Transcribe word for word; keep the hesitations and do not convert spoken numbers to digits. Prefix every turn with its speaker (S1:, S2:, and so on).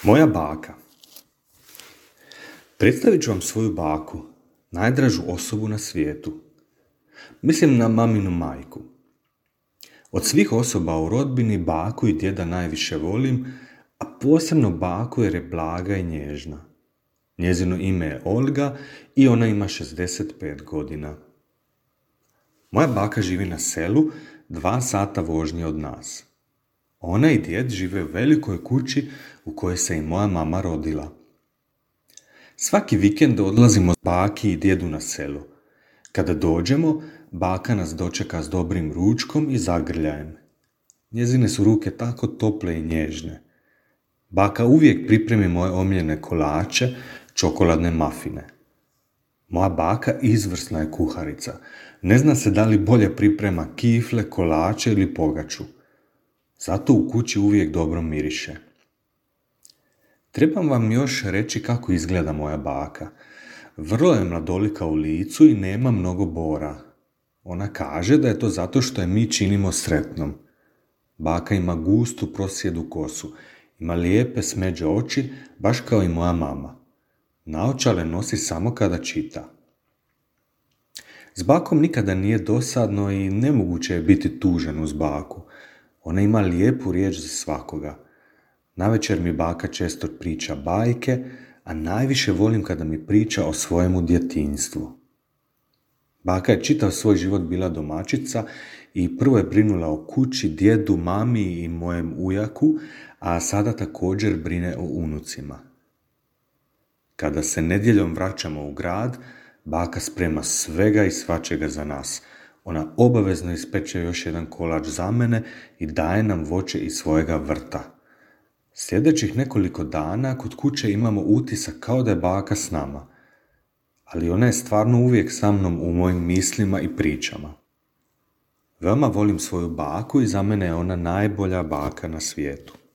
S1: Moja baka. Predstavit ću vam svoju baku, najdražu osobu na svijetu. Mislim na maminu majku. Od svih osoba u rodbini baku i djeda najviše volim, a posebno baku jer je blaga i nježna. Njezino ime je Olga i ona ima šezdeset pet godina. Moja baka živi na selu, dva sata vožnje od nas. Ona i djed žive u velikoj kući u kojoj se i moja mama rodila. Svaki vikend odlazimo baki i djedu na selo. Kada dođemo, baka nas dočeka s dobrim ručkom i zagrljajem. Njezine su ruke tako tople i nježne. Baka uvijek pripremi moje omiljene kolače, čokoladne mafine. Moja baka izvrsna je kuharica. Ne zna se da li bolje priprema kifle, kolače ili pogaču. Zato u kući uvijek dobro miriše. Trebam vam još reći kako izgleda moja baka. Vrlo je mladolika u licu i nema mnogo bora. Ona kaže da je to zato što je mi činimo sretnom. Baka ima gustu prosjedu kosu. Ima lijepe smeđe oči, baš kao i moja mama. Naočale nosi samo kada čita. S bakom nikada nije dosadno i nemoguće je biti tužan uz baku. Ona ima lijepu riječ za svakoga. Navečer mi baka često priča bajke, a najviše volim kada mi priča o svojemu djetinjstvu. Baka je čitav svoj život bila domaćica i prvo je brinula o kući, djedu, mami i mojem ujaku, a sada također brine o unucima. Kada se nedjeljom vraćamo u grad, baka sprema svega i svačega za nas. Ona obavezno ispeče još jedan kolač za mene i daje nam voće iz svojega vrta. Sljedećih nekoliko dana kod kuće imamo utisak kao da je baka s nama. Ali ona je stvarno uvijek sa mnom u mojim mislima i pričama. Veoma volim svoju baku i za mene je ona najbolja baka na svijetu.